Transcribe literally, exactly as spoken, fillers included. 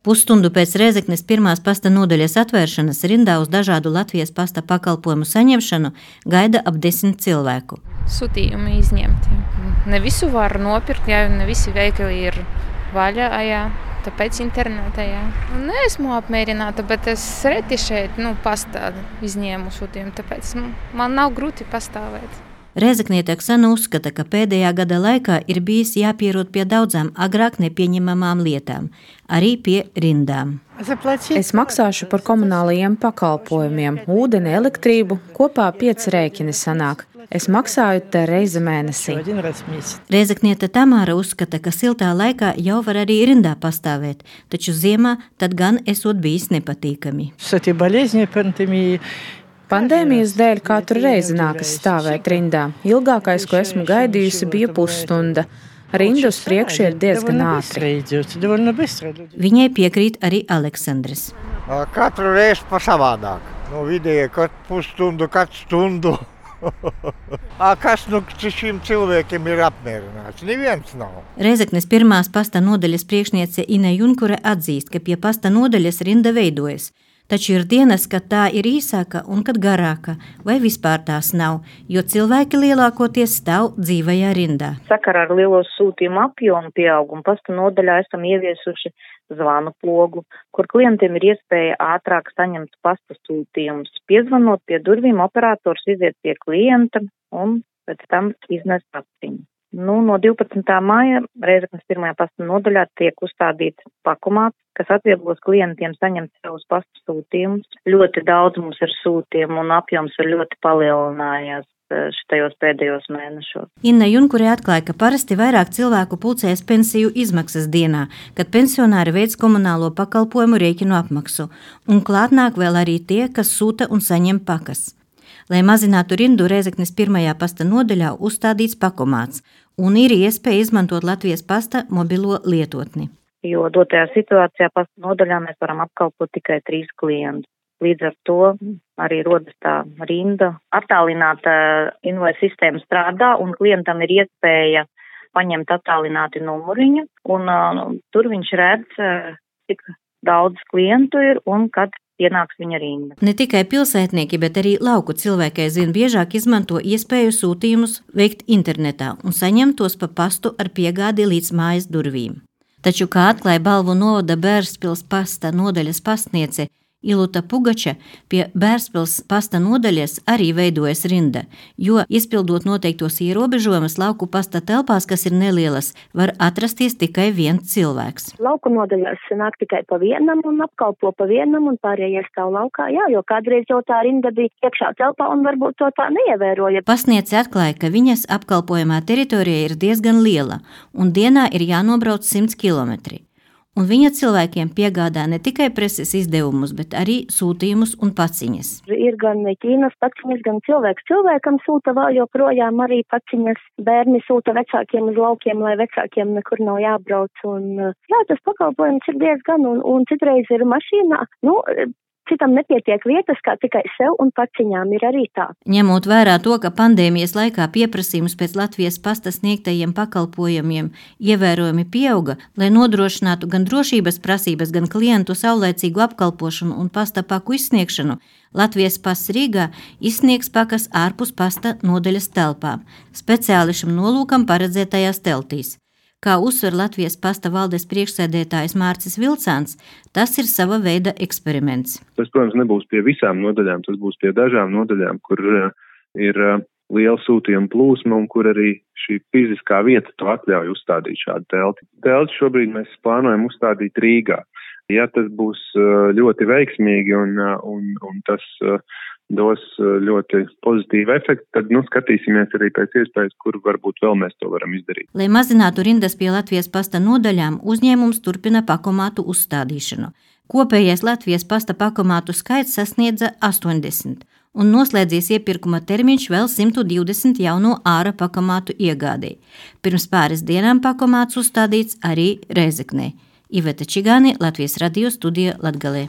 Pusstundu pēc Rēzeknes pirmās pasta nodaļas atvēršanas rindā uz dažādu Latvijas pasta pakalpojumu saņemšanu gaida ap desmit cilvēku. Sūtījumi izņemti. Ne visu var nopirkt, jā, ne visi veikali ir vaļā, jā, tāpēc internetā, jā. Neesmu apmierināta, bet es reti šeit, nu, pastā izņēmu sūtījumu, tāpēc man nav grūti pastāvēt. Rēzekniete Oksana uzskata, ka pēdējā gada laikā ir bijis jāpierod pie daudzām agrāk nepieņemamām lietām, arī pie rindām. Es maksāšu par komunālajiem pakalpojumiem, ūdeni, elektrību, kopā pieci rēķini sanāk. Es maksāju te reizi mēnesī. Rēzekniete Tamāra uzskata, ka siltā laikā jau var arī rindā pastāvēt, taču ziemā tad gan esot bijis nepatīkami. Pandēmijas dēļ katru reizi nākas stāvēt rindā. Ilgākais, ko esmu gaidījusi, bija pusstunda. Rinda uz priekšu ir diezgan ātri. Viņai piekrīt arī Aleksandrs. Katru reizi pa savādāk. Nu, vidēji katru pusstundu, katru stundu. Kas nu šim cilvēkiem ir apmierināts? Neviens nav. Rēzeknes pirmās pasta nodaļas priekšniece Ine Junkure atzīst, ka pie pasta nodaļas rinda veidojas. Taču ir dienas, kad tā ir īsāka un kad garāka, vai vispār tās nav, jo cilvēki lielākoties stāv dzīvajā rindā. Sakarā ar lielo sūtījumu apjomu pieaugumu pasta nodaļā esam ieviesuši zvanu pogu, kur klientiem ir iespēja ātrāk saņemt pasta sūtījumus. Piezvanot pie durvīm, operators iziet pie klienta un pēc tam iznes pastiņu. Nu, no divpadsmitā māja Rēzeknes pirmajā pasta nodaļā tiek uzstādīts pakomāts, kas atvieglos klientiem saņemt savus pasta sūtījumus. Ļoti daudz mums ir sūtījumu un apjoms ir ļoti palielinājies šitajos pēdējos mēnešos. Inna Junkure atklāja, ka parasti vairāk cilvēku pulcējas pensiju izmaksas dienā, kad pensionāri veic komunālo pakalpojumu rēķinu apmaksu, un klāt nāk vēl arī tie, kas sūta un saņem pakas. Lai mazinātu rindu, Rēzeknes pirmajā pasta nodaļā uzstādīts pakomāts un ir iespēja izmantot Latvijas pasta mobilo lietotni. Jo dotajā situācijā pasta nodaļā mēs varam apkalpot tikai trīs klientus. Līdz ar to arī rodas tā rinda. Attālināta invoice sistēma strādā un klientam ir iespēja paņemt attālināti numuriņu un uh, tur viņš redz, uh, cik daudz klientu ir un kad ienāks viņa rinda. Ne tikai pilsētnieki, bet arī lauku cilvēki aizvien biežāk izmanto iespēju sūtījumus veikt internetā un saņemt tos pa pastu ar piegādi līdz mājas durvīm. Taču, kā atklāja Balvu novada Bērspils pasta nodaļas pastniece Iluta Pugača, pie Bērspils pasta nodaļas arī veidojas rinda, jo, izpildot noteiktos ierobežojumus lauku pasta telpās, kas ir nelielas, var atrasties tikai viens cilvēks. Lauku nodaļās nāk tikai pa vienam un apkalpo pa vienam un pārējie stāv laukā, jā, jo kādreiz jau tā rinda bija iekšā telpā un varbūt to tā neievēroja. Pastniece atklāja, ka viņas apkalpojumā teritorija ir diezgan liela un dienā ir jānobrauc simts kilometri. Un viņa cilvēkiem piegādā ne tikai preses izdevumus, bet arī sūtījumus un paciņas. Ir gan Ķīnas paciņas, gan cilvēks cilvēkam sūta vēl joprojām arī paciņas. Bērni sūta vecākiem uz laukiem, lai vecākiem nekur nav jābrauc. Un, jā, tas pakalpojums ir diezgan, un, un citreiz ir mašīnā. Nu, citam nepietiek vietas, kā tikai sev un paciņām ir arī tā. Ņemot vērā to, ka pandēmijas laikā pieprasījums pēc Latvijas pasta sniegtajiem pakalpojumiem ievērojami pieauga, lai nodrošinātu gan drošības prasības, gan klientu saulēcīgu apkalpošanu un pasta paku izsniegšanu, Latvijas pasts Rīgā izsniegs pakas ārpus pasta nodaļas telpām, speciāli šim nolūkam paredzētajās teltīs. Kā uzsver Latvijas pasta valdes priekšsēdētājs Mārcis Vilcāns, tas ir sava veida eksperiments. Tas, protams, nebūs pie visām nodaļām, tas būs pie dažām nodaļām, kur uh, ir uh, liela sūtījuma plūsma un kur arī šī fiziskā vieta to atļauj uzstādīt šādu telti. Telti šobrīd mēs plānojam uzstādīt Rīgā. Ja tas būs uh, ļoti veiksmīgi un, uh, un, un tas uh, dos ļoti pozitīvu efektu, tad nu, skatīsimies arī pēc iespējas, kur varbūt vēl mēs to varam izdarīt. Lai mazinātu rindas pie Latvijas pasta nodaļām, uzņēmums turpina pakomātu uzstādīšanu. Kopējais Latvijas pasta pakomātu skaits sasniedza astoņdesmit, un noslēdzies iepirkuma termiņš vēl simt divdesmit jauno āra pakomātu iegādēji. Pirms pāris dienām pakomāts uzstādīts arī Rēzeknē. Iveta Čigāni, Latvijas radio studija Latgalē.